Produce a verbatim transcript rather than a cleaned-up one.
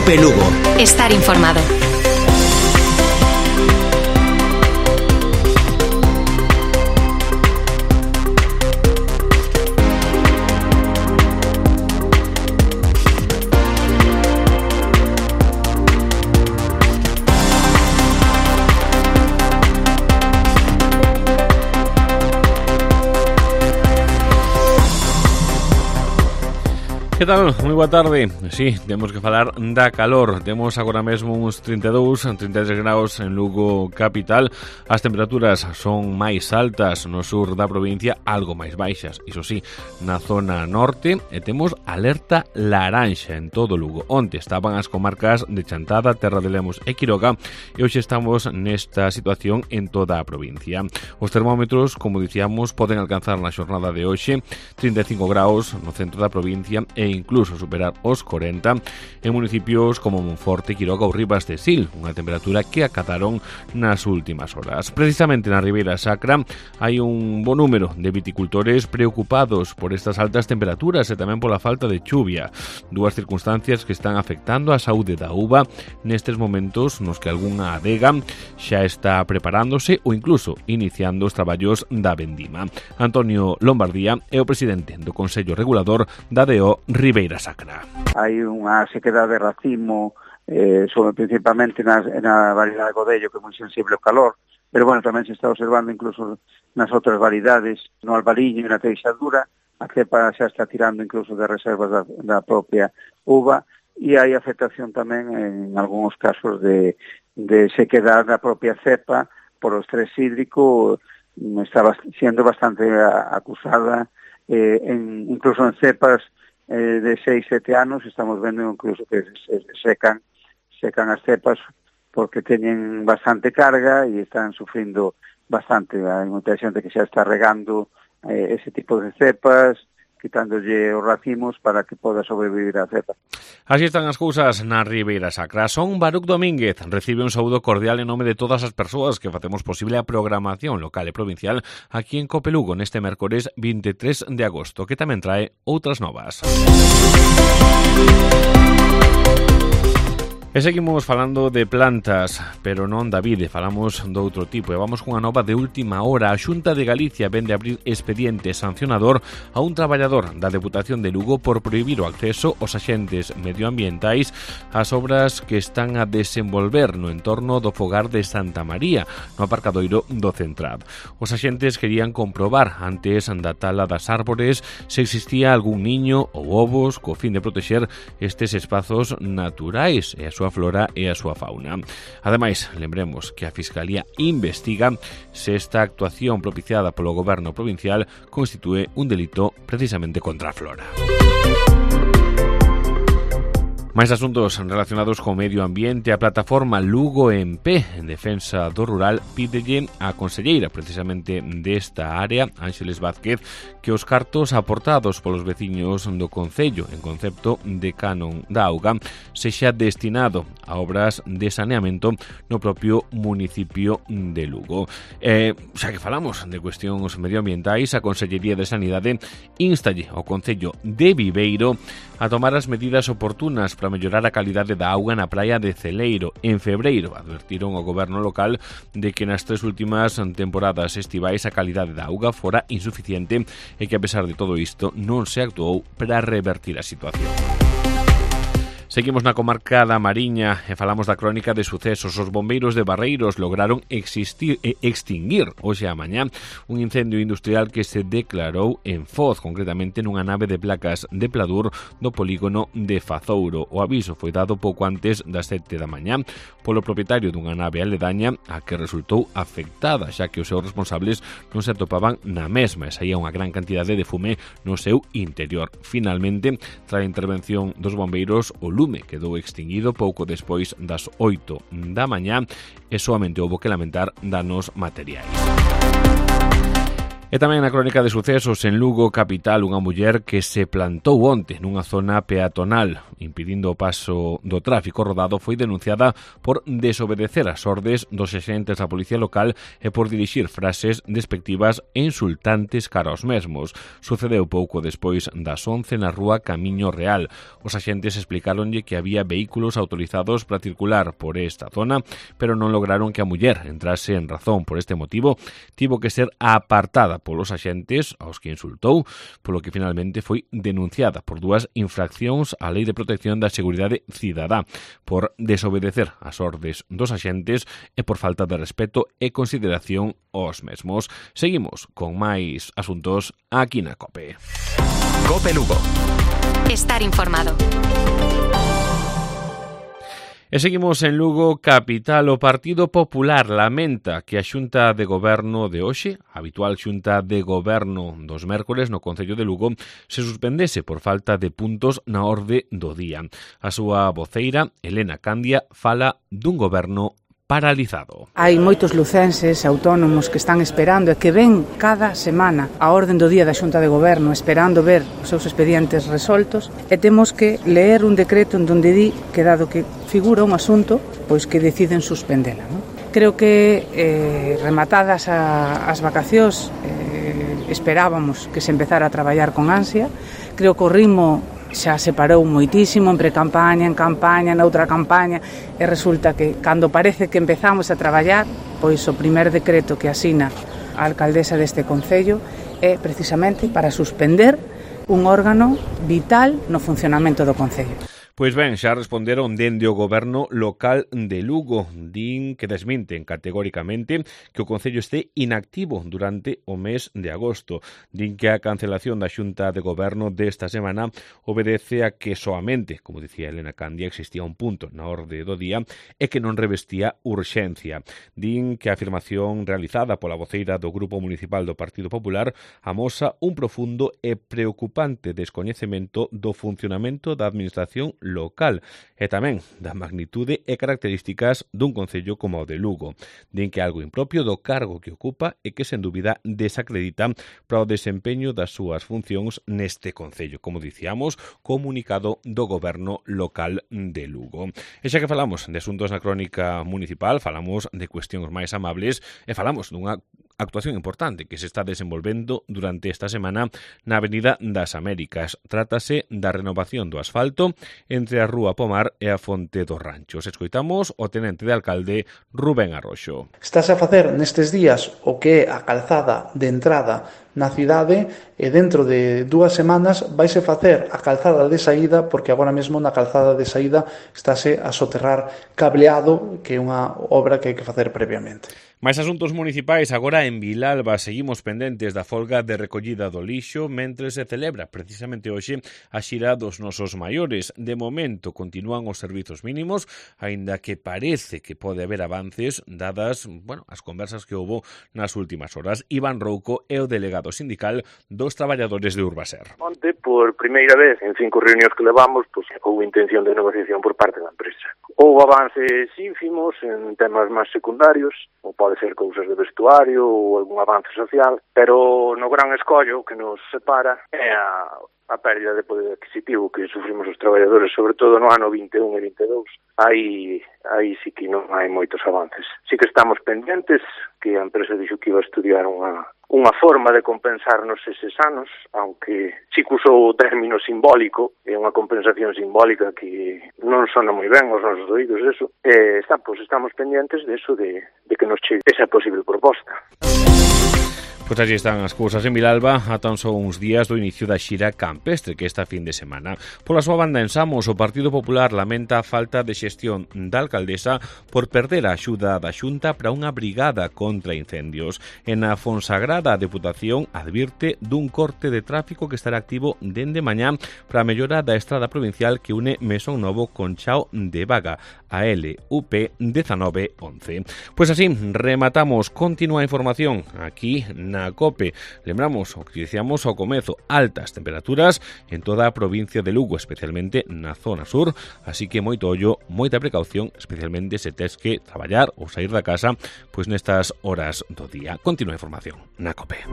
Cope Lugo. Estar informado. Que tal? Moi boa tarde. Sí, temos que falar da calor. Temos agora mesmo uns trinta e dous, trinta e tres graus en Lugo capital. As temperaturas son máis altas no sur da provincia, algo máis baixas, iso sí, na zona norte, e temos alerta laranxa en todo Lugo. Onte estaban as comarcas de Chantada, Terra de Lemos e Quiroga, e hoxe estamos nesta situación en toda a provincia. Os termómetros, como dicíamos, poden alcanzar na xornada de hoxe trinta e cinco graus no centro da provincia e e incluso superar os corenta en municipios como Monforte, Quiroga ou Ribas de Sil, unha temperatura que acataron nas últimas horas. Precisamente na Ribeira Sacra hai un bo número de viticultores preocupados por estas altas temperaturas e tamén pola falta de chuvia, dúas circunstancias que están afectando a saúde da uva nestes momentos nos que algunha adega xa está preparándose ou incluso iniciando os traballos da vendima. Antonio Lombardía é o presidente do Consello Regulador da D O Ribeira Sacra. Hai unha sequedade de racimo, eh, sobre principalmente na, na variedade Godello, que é moi sensible ao calor, pero bueno, tamén se está observando incluso nas outras variedades, no albariño e na teixadura, a cepa xa está tirando incluso de reservas da, da propia uva, e hai afectación tamén en algúns casos de, de sequedade da propia cepa por o estrés hídrico, está sendo bastante acusada, eh, en, incluso en cepas Eh, de seis, sete anos, estamos vendo incluso que se, se secan secan as cepas porque teñen bastante carga e están sufrindo bastante. Hai moita xente que xa está regando eh, ese tipo de cepas, quitándolle os racimos para que poda sobrevivir a cepa. Así están as cousas na Ribeira Sacra. Son Baruc Domínguez, recibe un saúdo cordial en nome de todas as persoas que facemos posible a programación local e provincial aquí en Cope Lugo neste mércores vinte e tres de agosto, que tamén trae outras novas. E seguimos falando de plantas, pero non da vide, falamos do outro tipo. E vamos cunha nova de última hora. A Xunta de Galicia vende abrir expediente sancionador a un traballador da Deputación de Lugo por prohibir o acceso aos axentes medioambientais ás obras que están a desenvolver no entorno do fogar de Santa María, no aparcadoiro do Centrab. Os axentes querían comprobar antes da tala das árbores se existía algún niño ou ovos co fin de protexer estes espazos naturais e a súa flora e a súa fauna. Ademais, lembremos que a Fiscalía investiga se esta actuación propiciada polo Goberno provincial constitúe un delito precisamente contra a flora. Máis asuntos relacionados co medio ambiente. A plataforma Lugo en Pé, en defensa do rural, pídelle á conselleira precisamente desta área, Ángeles Vázquez, que os cartos aportados polos veciños do concello en concepto de canon da auga sexa destinado a obras de saneamento no propio municipio de Lugo. Eh, xa que falamos de cuestións medioambientais, a Consellería de Sanidade installe ao Concello de Viveiro a tomar as medidas oportunas para mellorar a calidade da auga na praia de Celeiro. En febreiro advertiron ao goberno local de que nas tres últimas temporadas estivais a calidade da auga fora insuficiente e que a pesar de todo isto non se actuou para revertir a situación. Seguimos na comarca da Mariña e falamos da crónica de sucesos. Os bombeiros de Barreiros lograron existir, e extinguir hoxe a mañá un incendio industrial que se declarou en Foz, concretamente nunha nave de placas de Pladur do polígono de Fazouro. O aviso foi dado pouco antes das sete da mañá polo propietario dunha nave aledaña a que resultou afectada, xa que os seus responsables non se atopaban na mesma e saía unha gran cantidade de fume no seu interior. Finalmente, tras a intervención dos bombeiros, o lume quedou extinguido pouco despois das oito da mañá e soamente houbo que lamentar danos materiais. E tamén na crónica de sucesos en Lugo capital, unha muller que se plantou onte nunha zona peatonal impedindo o paso do tráfico rodado foi denunciada por desobedecer as ordes dos axentes da policía local e por dirixir frases despectivas e insultantes cara aos mesmos. Sucedeu pouco despois das once na rúa Camiño Real. Os axentes explicáronlle que había vehículos autorizados para circular por esta zona, pero non lograron que a muller entrase en razón. Por este motivo, tivo que ser apartada polos axentes aos que insultou, polo que finalmente foi denunciada por dúas infraccións á Lei de Protección da Seguridade Cidadá, por desobedecer as ordes dos axentes e por falta de respeto e consideración aos mesmos. Seguimos con máis asuntos aquí na COPE. COPE Lugo. Estar informado. E seguimos en Lugo capital. O Partido Popular lamenta que a Xunta de Goberno de hoxe, a habitual Xunta de Goberno dos mércores no Concello de Lugo, se suspendese por falta de puntos na orde do día. A súa voceira, Elena Candia, fala dun goberno paralizado. Hai moitos lucenses autónomos que están esperando e que ven cada semana a orden do día da Xunta de Goberno esperando ver os seus expedientes resoltos e temos que ler un decreto en donde di que dado que figura un asunto, pois que deciden suspendela. Non? Creo que eh, rematadas a, as vacacións eh, esperábamos que se empezara a traballar con ansia. Creo que o ritmo xa se parou moitísimo en pre-campaña, en campaña, na outra campaña e resulta que cando parece que empezamos a traballar, pois o primer decreto que asina a alcaldesa deste concello é precisamente para suspender un órgano vital no funcionamento do concello. Pois ben, xa responderon dende o goberno local de Lugo. Din que desminten categóricamente que o Concello este inactivo durante o mes de agosto. Din que a cancelación da Xunta de Goberno desta semana obedece a que soamente, como dicía Elena Candia, existía un punto na orde do día e que non revestía urxencia. Din que a afirmación realizada pola voceira do Grupo Municipal do Partido Popular amosa un profundo e preocupante descoñecemento do funcionamento da administración local e tamén da magnitude e características dun concello como o de Lugo. Din que algo impropio do cargo que ocupa e que, sen dúbida, desacredita para o desempeño das súas funcións neste concello, como dicíamos, comunicado do goberno local de Lugo. E xa que falamos de asuntos na crónica municipal, falamos de cuestións máis amables e falamos dunha actuación importante que se está desenvolvendo durante esta semana na Avenida das Américas. Trátase da renovación do asfalto entre a Rúa Pomar e a Fonte dos Ranchos. Escoitamos o tenente de alcalde Rubén Arroxo. Estás a facer nestes días o que é a calzada de entrada na cidade e dentro de dúas semanas vaise facer a calzada de saída, porque agora mesmo na calzada de saída estáse a soterrar cableado, que é unha obra que hai que facer previamente. Mais asuntos municipais, agora en Vilalba seguimos pendentes da folga de recollida do lixo mentre se celebra precisamente hoxe a xira dos nosos maiores. De momento continúan os servizos mínimos, aínda que parece que pode haber avances dadas, bueno, as conversas que houbo nas últimas horas. Iván Rouco é o delegado sindical dos traballadores de Urbaser. Onte, por primeira vez en cinco reunións que levamos, pues, houve intención de negociación por parte da empresa. Houve avances ínfimos en temas máis secundarios, ou pode ser cousas de vestuario ou algún avance social, pero no gran escollo que nos separa é a, a pérdida de poder adquisitivo que sufrimos os traballadores, sobre todo no ano vinte e un e vinte e dous. Aí, aí sí que non hai moitos avances. Sí que estamos pendentes, que a empresa dixo que iba a estudiar unha, unha forma de compensarnos eses anos, aunque sí que usou o término simbólico, é unha compensación simbólica que non sona moi ben aos nosos oídos, eso. Eh, está, pues, estamos pendentes de eso, de, de que nos chegue esa posible proposta. Pois así están as cousas en Vilalba a tan só uns días do inicio da xira campestre que esta fin de semana. Pola súa banda en Samos, o Partido Popular lamenta a falta de xestión da alcaldesa por perder a axuda da Xunta para unha brigada contra incendios. En a Fonsagrada, a Deputación advirte dun corte de tráfico que estará activo dende mañá para a mellora da estrada provincial que une Mesón Novo con Chao de Vaga, a L U P diecinueve once. Pois así, rematamos. Continúa a información aquí na na COPE. Lembramos o que dicíamos ao comezo, altas temperaturas en toda a provincia de Lugo, especialmente na zona sur, así que moito ollo, moita precaución, especialmente se tes que traballar ou sair da casa pois nestas horas do día. Continúa a información na COPE.